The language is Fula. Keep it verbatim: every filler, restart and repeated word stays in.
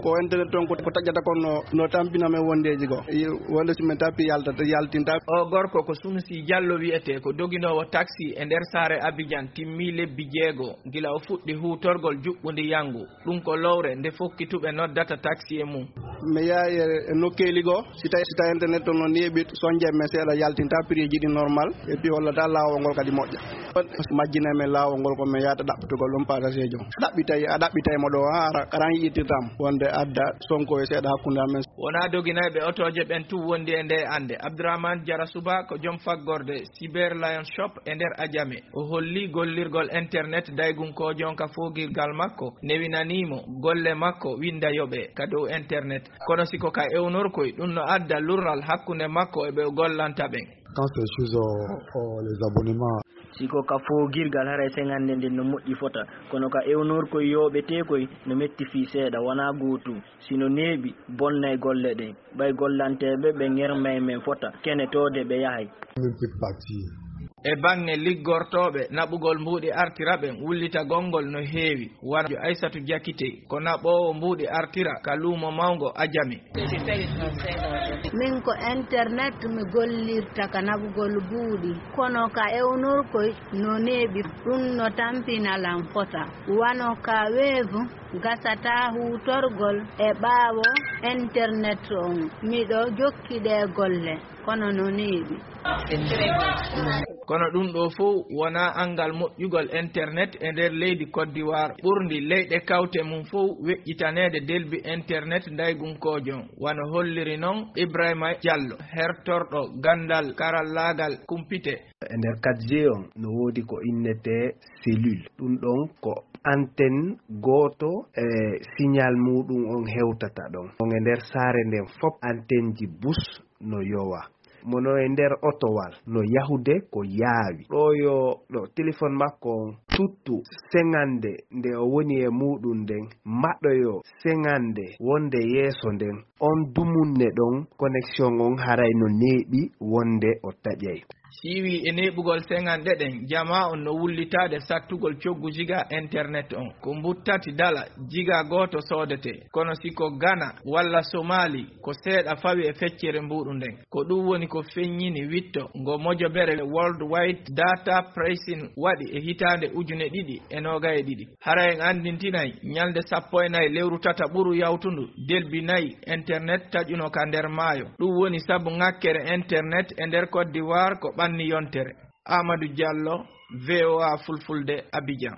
Ko internet toon ko, ko taƴata kon no, no tampina men wondeeji goo. I-, wonde si men tappi yaltata, yaltinta. O gorko ko Sunusi Jallo wiyetee, ko doginoowo taxi e nder saare Abidjan, timmii lebbi jeego gila o fuɗɗi huutorgol juɓɓundi yanngu. Ɗum ko lowre nde fokkituɓe noddata taxi e mum. Mi yaha e, e nokkeeli goo, si tawi, si tawi internet toon no neeɓi, sonje men seeɗa, yaltinta prix ji ɗi normal, et puis hollata laawol ngol kadi moƴƴa. Majjinay men laawol ngol ko men yahata ɗaɓɓitugol ɗum passager jo. Ɗaɓɓitay, a ɗaɓɓitay mo ɗo, ha ara, karan yi'irtirtam wonde adda sonko e seeɗa hakkunde amen. Wonaa doginayɓe otooje ɓen tun wondi e nde annde. Abdourahmane Diarra Souba ko joom faggorde Cyber Lion Shop e nder Adjamé. O holli gollirgol internet daygunkoojo on ka foogirgal makko, newinanii mo golle makko winnda yoɓee ka dow internet. Kono si ko ka ewnorkoy, ɗum no adda lurral hakkunde makko e ɓe o gollanta ɓen. Quand c'est chose, euh, euh, les abonnements. Si ko ka foogirgal, haray seŋannde nden no moƴƴi fota, kono ka ewnorkoy yooɓeteekoy no metti fii seeɗa, wonaa gootum. Si no neeɓi, bonnay golle ɗen. Ɓay gollanteeɓe ɓe ŋermay men fota, kenetoode ɓe yahay. Même petit parti. E baŋŋe liggortooɓe naɓugol mbuuɗi artira ɓen, wullitagol ngol no heewi. Wano Aysatu Jakite, ko naɓoowo mbuuɗi artira ka luumo mawngo Ajami. Min ko internet mi gollirta ka naɓugol buuɗi, kono ka ewnorkoy no neeɓi, ɗum no tampina lan fota. Wano ka weevu, gasataa huutorgol e ɓaawo internet on. Miɗo jokki ɗee golle, kono no neeɓi. Kono ɗum ɗoo fow wonaa anngal moƴƴugol internet e nder leydi Côte d'Ivoire, ɓurndi leyɗe kawte mum fow weƴƴitaneede delbi internet ndaygunkoojo on, wano holliri non Ibrahima Diallo, hertorɗo ganndal karallaagal kumpite. E nder quatre G on, no woodi ko innetee cellule. Ɗum ɗon ko antenne gooto e signal muuɗum on hewtata ɗon. On e nder saare nden fop, antenne ji bus no yowa. Mono e nder otowal no yahude ko yaawi. Ɗo yo ɗo téléphone makko on tuttu seŋande nde o woni e muuɗum nden, maɗoyo seŋande wonde yeeso nden. On dumunne ɗon, connexion on haray no neeɓi wonde o taƴay. Siiwi e neeɓugol seŋanɗe ɗen, jamaa on no wullitaade sattugol coggu jiga internet on. Ko mbuttati dala jiga gooto soodetee. Kono si ko Ghana walla Somali, ko seeɗa fawi e feccere mbuuɗu nden. Ko ɗum woni ko feññini witto ngo mojobere World Wide Data Pricing waɗi e hitaande ujune ɗiɗi e noogay e ɗiɗi. Hara en anndintinay, ñalnde sappo e nayi lewru tata ɓuru yawtundu, delbi nayi internet taƴuno ka nder maayo. Ɗum woni sabu ŋakkere internet e nder Côte d'Ivoire ko ɓanni yontere. Amadou Diallo, V O A Fulfulde, Abidjan.